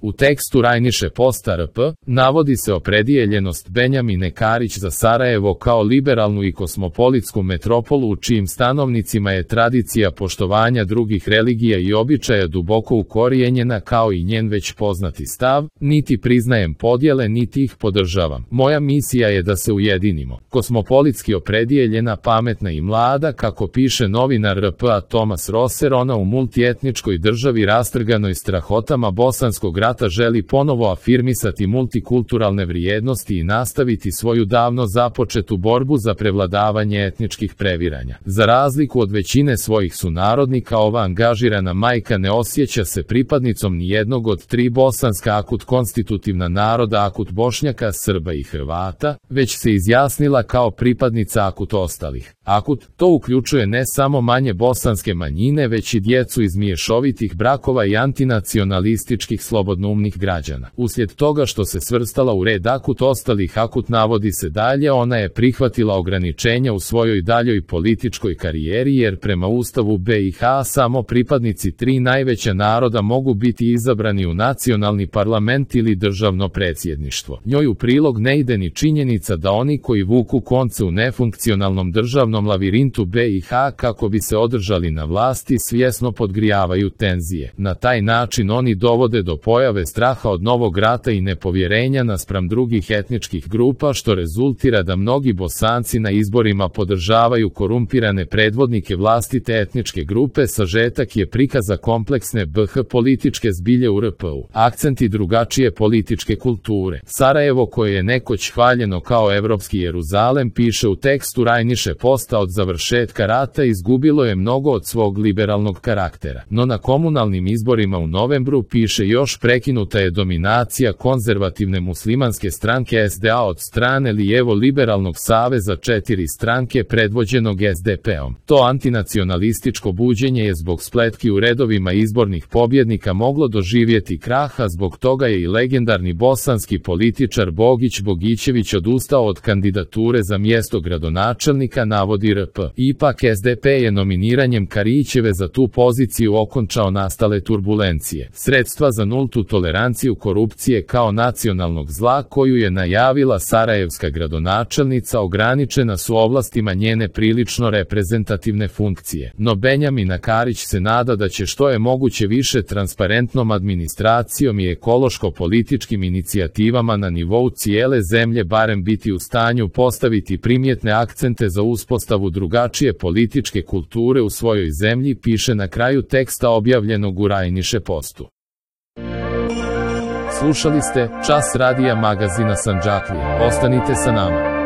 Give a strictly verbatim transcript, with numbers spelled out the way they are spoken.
U tekstu Rajniše Posta R P navodi se opredijeljenost Benjamine Karić za Sarajevo kao liberalnu i kosmopolitsku metropolu u čijim stanovnicima je tradicija poštovanja drugih religija i običaja duboko ukorijenjena, kao i njen već poznati stav: niti priznajem podjele niti ih podržavam. Moja misija je da se ujedinimo. Kosmopolitski opredijeljena, pametna i mlada, kako piše novinar R P A Tomas Roser, ona u multietničkoj državi rastrganoj strahotama bosanskog rata želi ponovo afirmisati multikulturalne vrijednosti i nastaviti svoju davno započetu borbu za prevladavanje etničkih previranja. Za razliku od većine svojih sunarodnika, ova angažirana majka ne osjeća se pripadnicom nijednog od tri bosanska akut konstitutivna naroda, akut Bošnjaka, Srba i Hrvata, već se izjasnila kao pripadnica akut ostalih. Akut, to uključuje ne samo manje bosanske manjine, već i djecu iz mješovitih brakova i antinacionalističkih slobodnoumnih građana. Uslijed toga što se svrstala u red akut ostalih akut, navodi se dalje, ona je prihvatila ograničenja u svojoj daljoj političkoj karijeri, jer prema Ustavu B i H samo pripadnici tri najveća naroda mogu biti izabrani u nacionalni parlament ili državno predsjedništvo. Njoj u prilog ne ide ni činjenica da oni koji vuku konce u nefunkcionalnom državnom lavirintu B i H kako bi se održali na vlasti svjesno podgrijavaju tenzije. Na taj način oni dovode do pojave straha od novog rata i nepovjerenja naspram drugih etničkih grupa, što rezultira da mnogi Bosanci na izborima podržavaju korumpirane predvodnike vlastite etničke grupe. Sažetak je prikaza kompleksne B H političke zbilje u R P U. Akcenti drugačije političke kulture. Sarajevo, koje je nekoć hvaljeno kao evropski Jeruzalem, piše u tekstu Rajniše Posta, od završetka rata izgubilo je mnogo od svog liberalnog karaktera. No na komunalnim izborima u novembru, piše još, prekinuta je dominacija konzervativne muslimanske stranke S D A od strane lijevo-liberalnog saveza četiri stranke predvođenog S D P-om. To antinacionalističko buđenje je zbog spletki u redovima izbornih pobjednika moglo doživjeti kraha, zbog toga je i legendarni bosanski političar Bogić Bogićević odustao od kandidature za mjesto gradonačelnika, navodi R P. Ipak S D P je nominiranjem Karićeve za tu poziciju okončao nastale turbulencije. Sredstva za nultu toleranciju korupcije kao nacionalnog zla koju je najavila sarajevska gradonačelnica ograničena su ovlastima njene prilično reprezentativne funkcije. No Benjamina Karić se nada da će što je moguće više transparentnom administracijom i ekološko-političkim inicijativama na nivou cijele zemlje barem biti u stanju postaviti primjetne akcente za uspostavu drugačije političke kulture u svojoj zemlji, piše na kraju teksta objavljenog u Rajniše Postu. Slušali ste Čas radija magazina Sandžaklija. Ostanite sa nama.